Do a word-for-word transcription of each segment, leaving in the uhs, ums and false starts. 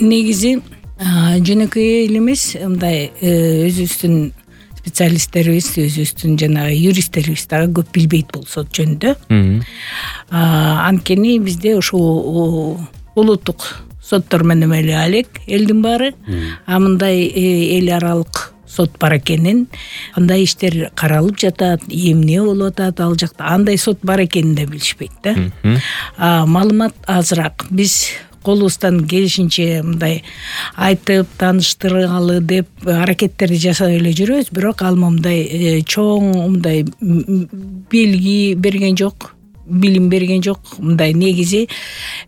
негизи жөнөкөй эл эмес, мындай өзүбүздүн специалисттерибиз, өзүбүздүн жанагы юристтерибиз дагы көп билбейт бул сот жөнүндө. Анткени бизде ушул улуттук соттор менен эле алек элдин баары, а мындай эл аралык сот бар экенин, кандай иштер каралып жатат, эмне болуп атат ал жакта, андай сот бар экенин да билишпейт да. Маалымат азыраак. Биз колубуздан келишинче мындай айтып тааныштыргалы деп аракеттерди жасап эле жүрөбүз, бирок ал мындай чоң мындай белги берген жок, билим берген жок. Мындай негизи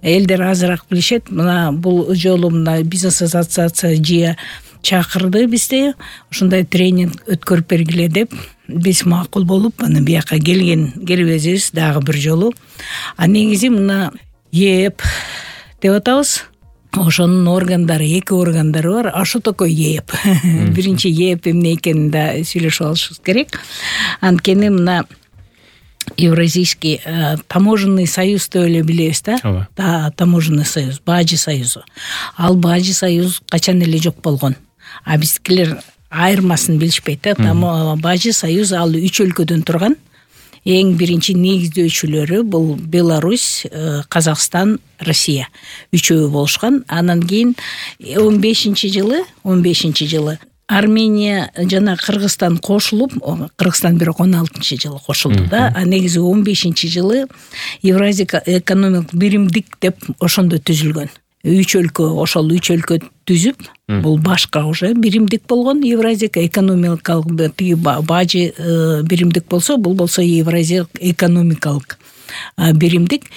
элдер азыраак билишет. Мына бул жолу мына бизнес ассоциация жыя чакырды бизди, ушундай тренинг өткөрүп бергиле деп. Биз макул болуп аны бияка келген келбесибиз дагы бир жолу. А негизи мына ЕЭП деп атабыз. Ошонун органдары, эки органдары бар. А что такое ЕЭП? Биринчи ЕЭП эмне экенин да сүйлөшүп алышыбыз керек. Анткени мына Евразийский таможенный союз деп эле билебиз да. Да, таможенный союз, Бажы союзу. Ал Бажы союз качан эле жок болгон. А биздикилер айырмасын билишпейт да. Бажы союз ал үч өлкөдөн турган. Эң биринчи негиздөөчүлөрү бул Беларусь, Казакстан, Россия. Үчөө болушкан. Анан кийин он бешинчи жылы, он бешинчи жылы Армения жана Кыргызстан кошулуп, Кыргызстан бирок он алтынчы жылы кошулду да. А негизи он бешинчи жылы Евразия экономикалык биримдик деп ошондо түзүлгөн. Үч өлкө, ошол үч өлкө түзүп, бул башка уже биримдик болгон. Евразия экономикалык тиги Бажы биримдик болсо, бул болсо Евразия экономикалык биримдик.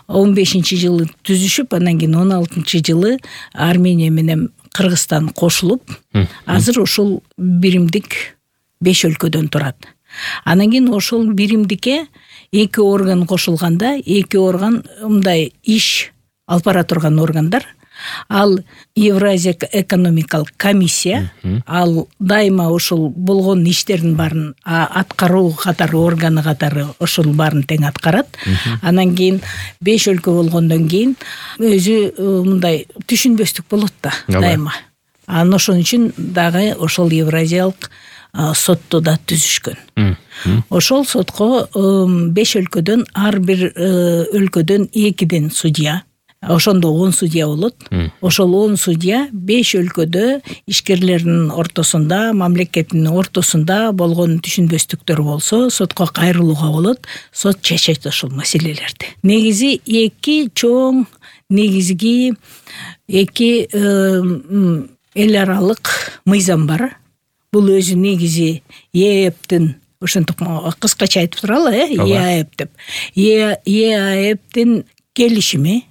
он бешинчи жылы түзүшүп, анан кийин он алтынчы жылы Армения менен Кыргызстан кошулуп, азыр ушул биримдик беш өлкөдөн турат. Анан кийин ошол биримдикке эки орган кошулганда, эки орган мындай иш алып бара турган органдар. Ал Евразия экономикалык комиссия, ал дайыма ушул болгон иштердин баарын аткаруу катары органы катары ошол баарын тең аткарат. Анан кийин беш өлкө болгондон кийин өзү мындай түшүнбөстүк болот да дайыма. Анан ошон үчүн дагы ошол Евразиялык сотту да түзүшкөн. Ошол сотко беш өлкөдөн ар бир өлкөдөн экиден судья, ошондо он судья болот. Ошол он судья беш өлкөдө ишкерлердин ортосунда, мамлекеттин ортосунда болгон түшүнбөстүктөр болсо, сотко кайрылууга болот. Сот чечет ошол маселелерди. Негизи эки чоң негизги эки эл аралык мыйзам бар. Бул өзү негизи ЕЭПтин, ошентип кыскача айтып туралы, э, ЕАЭП деп. ЕАЭПтин келишими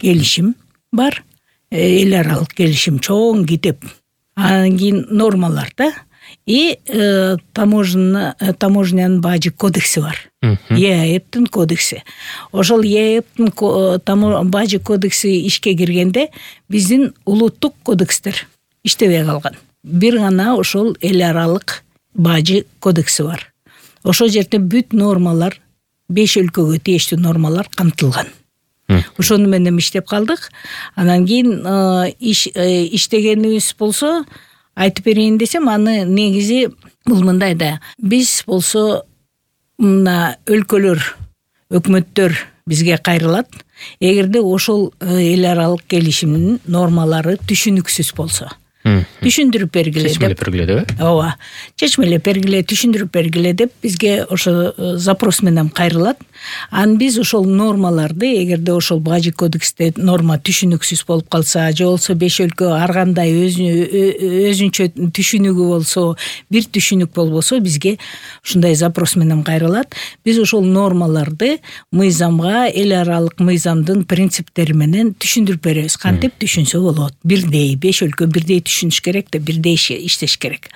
келишим бар, эл аралык келишим, чоң китеп. Анан кийин нормалар да. И таможня таможнянын Бажы кодекси бар. ЕАЭПтин кодекси. Ошол ЕАЭПтин Бажы кодекси ишке киргенде биздин улуттук кодекстер иштебей калган. Бир гана ошол эл аралык Бажы кодекси бар. Ошол жерде бүт нормалар, беш өлкөгө тийиштүү нормалар камтылган. Ошону менен иштеп калдык. Анан кийин иш иштегенибиз болсо, айтып берейин десем, аны негизи бул мындай да. Биз болсо мына өлкөлөр, өкмөттөр бизге кайрылат. Эгерде ошол эл аралык келишимдин нормалары түшүнүксүз болсо, түшүндүрүп бергиле деп. Чечмелеп бергиле деп. Ооба. Чечмелеп бергиле, түшүндүрүп бергиле деп бизге ошо запрос менен кайрылат. Ан биз ошол нормаларды, эгерде ошол Бажы кодексте норма түшүнүксүз болуп калса, же болсо беш өлкө ар кандай өзүнчө түшүнүгү болсо, бир түшүнүк болбосо, бизге ушундай запрос менен кайрылат. Биз ошол нормаларды мыйзамга, эл аралык мыйзамдын принциптери менен түшүндүрүп беребиз. Кантип түшүнсө болот? Бирдей, беш өлкө бирдей түшүнүш керек да, бирдей иштеш керек.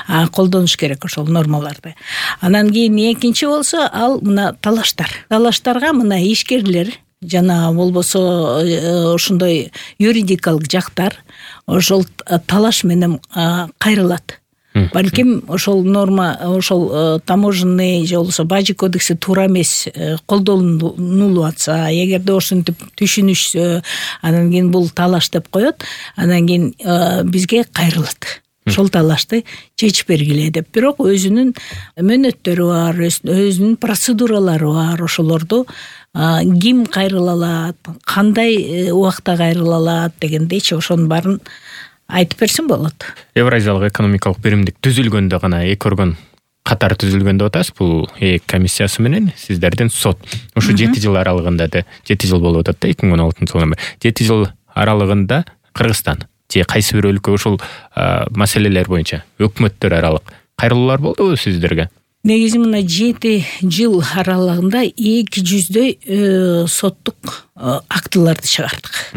А колдонуш керек ошол нормаларды. Анан кийин экинчи болсо, ал мына талаштар. Талаштарга мына ишкерлер жана болбосо ошондой юридикалык жактар ошол талаш менен кайрылат. Балким ошол норма, ошол таможенный же болбосо бажы кодекси туура эмес колдонулуп атса, эгерде ошентип түшүнүшсө, анан кийин бул талаш деп коет, анан кийин бизге кайрылат. Ошол талашты чечип бергиле деп. Бирок өзүнүн мөөнөттөрү бар, өзүнүн процедуралары бар. Ошолорду ким кайрыла алат, кандай убакта кайрыла алат дегендейчи ошонун баарын айтып берсин болот. Евразиялык экономикалык биримдик түзүлгөндө гана эки орган катар түзүлгөн деп атасыз. Бул ЭЭК комиссиясы менен сиздердин сот. Ушу жети жыл аралыгында да, жети жыл болуп атат да, эки миң он алтынчы жылдан бери. жети жыл аралыгында Кыргызстан же кайсы бир өлкө ушул маселелер боюнча өкмөттөр аралык кайрылуулар болдубу сиздерге? Негизи мына жети жыл аралыгында эки жүздөй соттук актыларды чыгардык.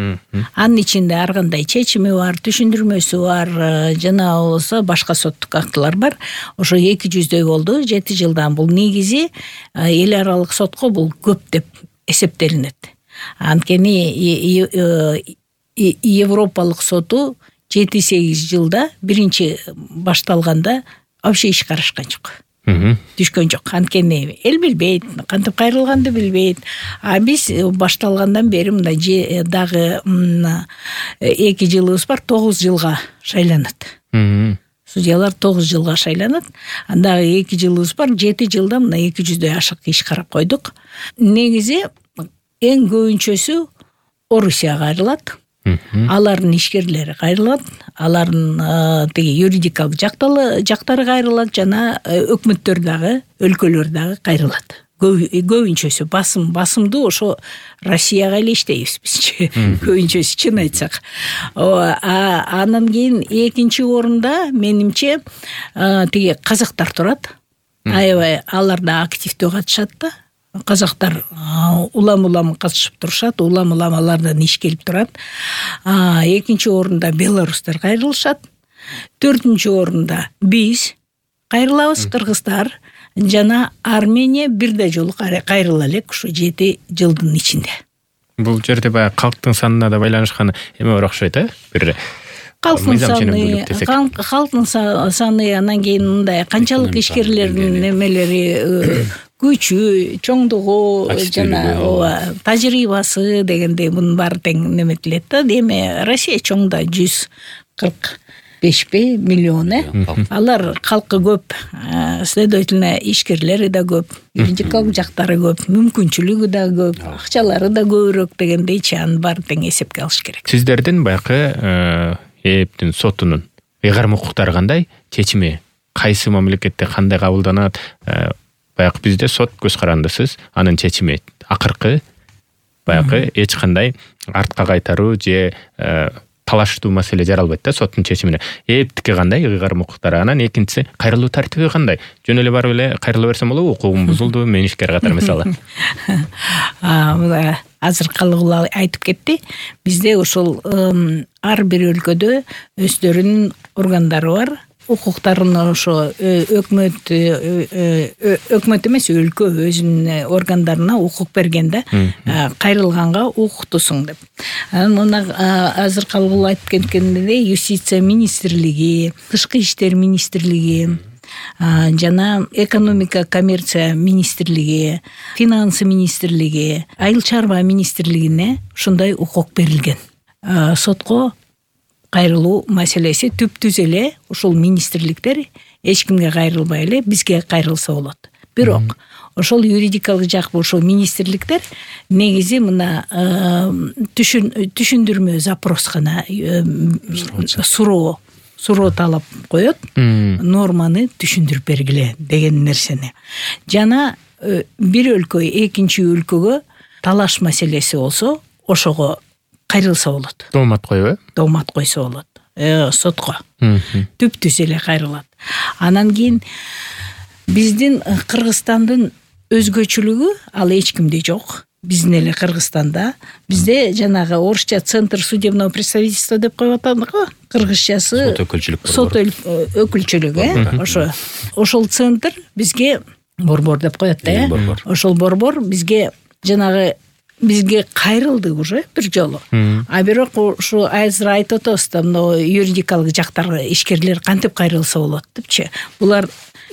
Анын ичинде ар кандай чечими бар, түшүндүрмөсү бар, жана болсо башка соттук актылар бар. Ошо эки жүздөй болду жети жылдан. Бул негизи эл аралык сотко бул көп деп эсептелинет. Анткени Европалык соту жети сегиз жылда биринчи башталганда вообще иш карашкан жок. Түшкөн жок. Анткени эл билбейт, кантип кайрылганды билбейт. А биз башталгандан бери мындай дагы эки жылыбыз бар, тогуз жылга шайланат. Судьялар тогуз жылга шайланат. Андагы эки жылыбыз бар, жети жылда мына эки жүздөй ашык иш карап койдук. Негизи эң көбүнчөсү Орусияга кайрылат. Алардын ишкерлери кайрылат, алардын тиги юридикалык жактары кайрылат, жана өкмөттөр дагы, өлкөлөр дагы кайрылат. Көбүнчөсү басым, басымды ошо Россияга эле иштейбиз бизчи. Көбүнчөсү чын айтсак. Анан кийин экинчи орунда менимче тиги казактар турат. Аябай алар да активдүү катышат да. Казактар улам-улам катышып турушат, улам-улам алардан иш келип турат. Экинчи орунда белорустар кайрылышат. Төртүнчү орунда биз кайрылабыз, кыргыздар жана Армения бирдей жолу кайрыла элек ушу жети жылдын ичинде. Бул жерде баягы калктын санына да байланышканы эме бар окшойт, э? Бир Калктын саны, калктын саны, анан кийин мындай канчалык ишкерлердин немелери, күчү, чоңдугу, жана тажрыйбасы дегендей мунун баары тең неметилет да. Эми Россия чоң да, жүз кырк бешпи миллион, э? Алар калкы көп, следовательно, ишкерлери да көп, юридикалык жактары көп, мүмкүнчүлүгү да көп, акчалары да көбүрөөк дегендейчи, анын баары тең эсепке алыш керек. Сиздердин баягы ЭЭПтин сотунун ыйгарым укуктары кандай, чечими кайсы мамлекетте кандай кабылданат? Баягы бизде сот көз карандысыз, анын чечими акыркы баягы эч кандай артка кайтаруу же талаштуу маселе жаралбайт да соттун чечимине. ЭЭПтики кандай ыйгарым укуктары, анан экинчиси кайрылуу тартиби кандай? Жөн эле барып эле кайрыла берсем болобу? Укугум бузулду, мен ишкер катар мисалы. Азыр калгыла айтып кетти. Бизде ошол ар бир өлкөдө өздөрүнүн органдары бар. Укуктарын ошо өкмөт өкмөт эмес, өлкө өзүнүн органдарына укук берген да, кайрылганга укуктусуң деп. Анан мына азыр калгыла айтып кеткендей, юстиция министрлиги, тышкы иштер министрлиги, жана экономика коммерция министрлиги, финансы министрлиги, айыл чарба министрлигине ушундай укук берилген. Сотко кайрылуу маселеси түп-түз эле ушул министрликтер эч кимге кайрылбай эле бизге кайрылса болот. Бирок ошол юридикалык жак ошол министрликтер негизи мына түшүндүрмө запрос гана суроо суроо талап коет, норманы түшүндүрүп бергиле деген нерсени. Жана бир өлкө экинчи өлкөгө талаш маселеси болсо, ошого кайрылса болот. Доомат коюп, э? Доомат койсо болот. Сотко. Түп-түз эле кайрылат. Анан кийин биздин Кыргызстандын өзгөчөлүгү ал эч кимде жок. Биздин эле Кыргызстанда бизде жанагы орусча центр судебного представительства деп коюп атадык го. Кыргызчасы сот өкүлчүлүк. Сот өкүлчүлүк, э? Ошо ошол центр бизге борбор деп коет да, э? Ошол борбор бизге жанагы бизге кайрылды уже бир жолу. А бирок ушу азыр айтып атабыз да, мына юридикалык жактар ишкерлер кантип кайрылса болот депчи. Булар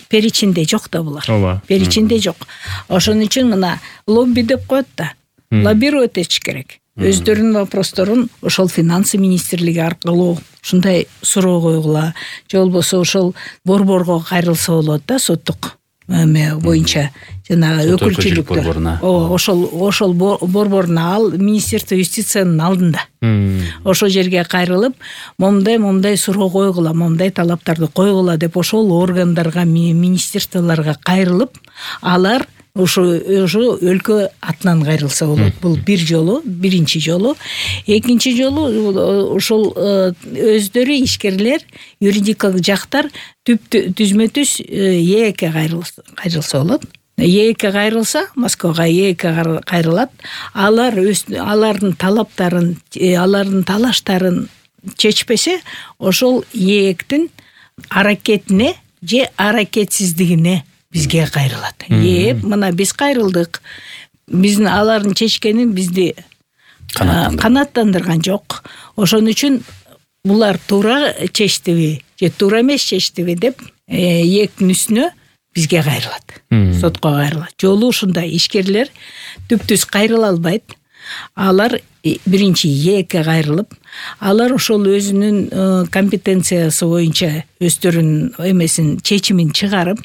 перечинде жок да булар. Ооба. Перечинде жок. Ошон үчүн мына лобби деп коет да. Лоббировать этиш керек. Өздөрүнүн вопросторун ошол финансы министрлиги аркылуу ушундай суроо койгула, же болбосо ошол борборго кайрылса болот да, соттук эме боюнча жанагы өкүлчүлүктө. Ооба, ошол ошол борбордун ал Министерство юстициянын алдында. Ошол жерге кайрылып, момундай момундай суроо койгула, момундай талаптарды койгула деп ошол органдарга, министрликтарга кайрылып, алар ушу ушу өлкө атынан кайрылса болот. Бул бир жолу, биринчи жолу. Экинчи жолу ошол өздөрү ишкерлер, юридикалык жактар түзмө түз ээкке кайрылса болот. ээкке кайрылса, Москвага ээкке кайрылат. Алар алардын талаптарын, алардын талаштарын чечпесе, ошол ээктин аракетине же аракетсиздигине бизге кайрылат. Ээп, мына биз кайрылдык. Биздин алардын чечкенин бизди канааттандырган жок. Ошон үчүн булар туура чечтиби же туура эмес чечтиби деп ээктин үстүнө бизге кайрылат. Сотко кайрылат. Жолу ушундай. Ишкерлер түптүз кайрыла албайт. Алар биринчи ээкке кайрылып, алар ошол өзүнүн компетенциясы боюнча өздөрүнүн эмесин, чечимин чыгарып,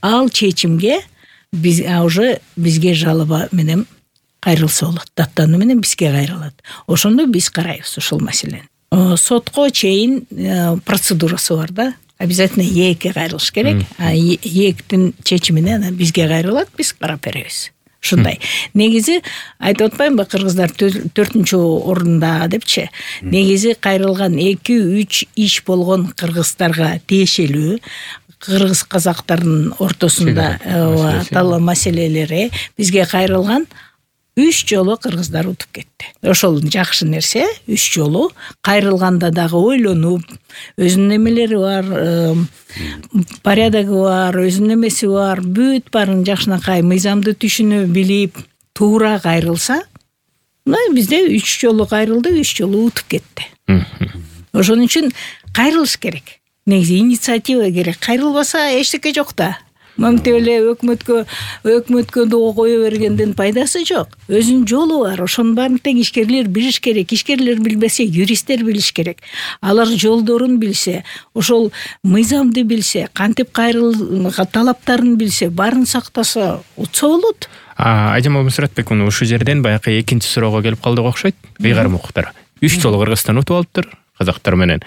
ал чечимге биз уже бизге жалоба менен кайрылса болот. Даттануу менен бизге кайрылат. Ошондо биз карайбыз ушул маселени. Сотко чейин процедурасы бар да. Обязательно ээкке кайрылыш керек. ээктин чечимине бизге кайрылат, биз карап беребиз. Ушундай. Негизи айтып атпаймынбы, кыргыздар төртүнчү орунда депчи. Негизи кайрылган эки үч иш болгон кыргыздарга тиешелүү, кыргыз казактардын ортосунда талаа маселелери бизге кайрылган үч жолу кыргыздар утуп кетти. Ошол жакшы нерсе. Үч жолу кайрылганда дагы ойлонуп, өзүнүн эмелери бар, порядогу бар, өзүнүн эмеси бар, бүт баарын жакшынакай мыйзамды түшүнө билип, туура кайрылса, мына бизде үч жолу кайрылды, үч жолу утуп кетти. Ошон үчүн кайрылыш керек. Негизи инициатива керек. Кайрылбаса эчтеке жок да. Мынтип эле өкмөткө өкмөткө доо кое бергенден пайдасы жок. Өзүнүн жолу бар. Ошонун баарын тең ишкерлер билиш керек. Ишкерлер билбесе, юристтер билиш керек. Алар жолдорун билсе, ошол мыйзамды билсе, кантип кайрыл талаптарын билсе, баарын сактаса, утса болот. Айжамал Мусратбек, муну ушул жерден баягы экинчи суроого келип калдык окшойт. Ыйгарым укуктар. Үч жолу Кыргызстан утуп алыптыр. Казактар менен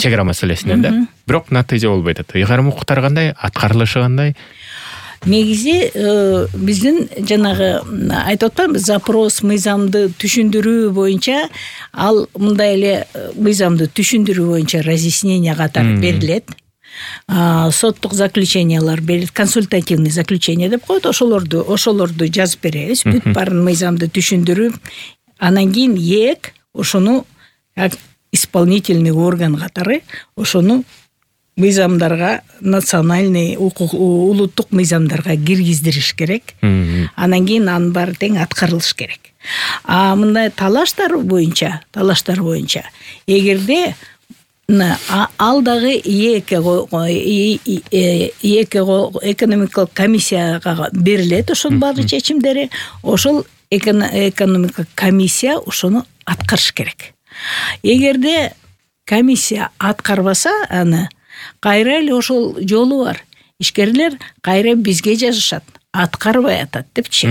чек ара маселесинен да. Бирок натыйжа болбой атат. Ыйгарым укуктар кандай, аткарылышы кандай? Негизи биздин жанагы айтып атпаймынбы, запрос мыйзамды түшүндүрүү боюнча, ал мындай эле мыйзамды түшүндүрүү боюнча разъяснение катары берилет. Соттук заключениялар берилет, консультативный заключение деп коет. Ошолорду, ошолорду жазып беребиз. Бүт баарын мыйзамды түшүндүрүп, анан кийин ээк ошону исполнительный орган катары ошону мыйзамдарга, национальный улуттук мыйзамдарга киргиздириш керек. Анан кийин анын баары тең аткарылыш керек. А мындай талаштар боюнча, талаштар боюнча эгерде ал дагы ээкке ээкке экономикалык комиссияга берилет ошонун баары чечимдери. Ошол экономикалык комиссия ошону аткарыш керек. Эгерде комиссия аткарбаса, аны кайра эле ошол жолу бар. Ишкерлер кайра бизге жазышат, аткарбай атат депчи.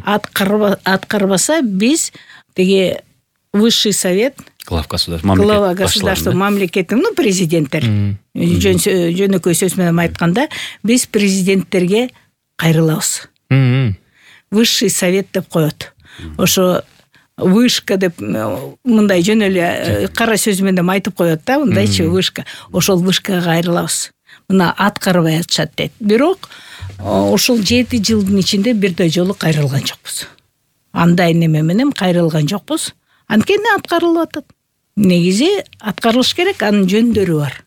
Аткарбаса биз теге высший совет, глава государства, глава государства, мамлекеттин, ну, президенттер, жөнөкөй сөз менен айтканда, биз президенттерге кайрылабыз. Высший совет деп коет. Ошо вышка деп мындай жөн эле кара сөз менен айтып коет да, мындайчы вышка. Ошол вышкага кайрылабыз. Мына аткарбай атышат дейт. Бирок ошол жети жылдын ичинде бирдей жолу кайрылган жокпуз. Андай неме менен кайрылган жокпуз. Анткени аткарылып атат. Негизи аткарылыш керек, анын жөндөрү бар.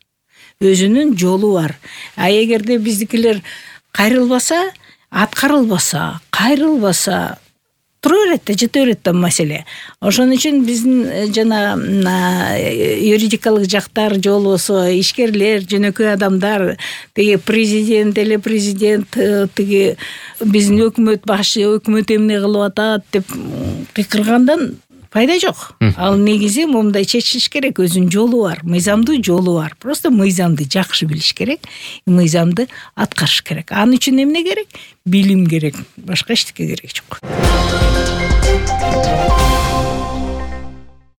Өзүнүн жолу бар. А эгерде биздикилер кайрылбаса, аткарылбаса, кайрылбаса, тура берет да, жете берет да маселе. Ошон үчүн биздин жана юридикалык жактар же болбосо ишкерлер, жөнөкөй адамдар, тиги президент эле президент тиги биздин өкмөт башы, өкмөт эмне кылып атат деп кыйкыргандан пайда жок. Ал негизи момундай чечилиш керек, өзүнүн жолу бар, мыйзамдуу жолу бар. Просто мыйзамды жакшы билиш керек, мыйзамды аткарыш керек. Анын үчүн эмне керек? Билим керек, башка эчтеке керек жок.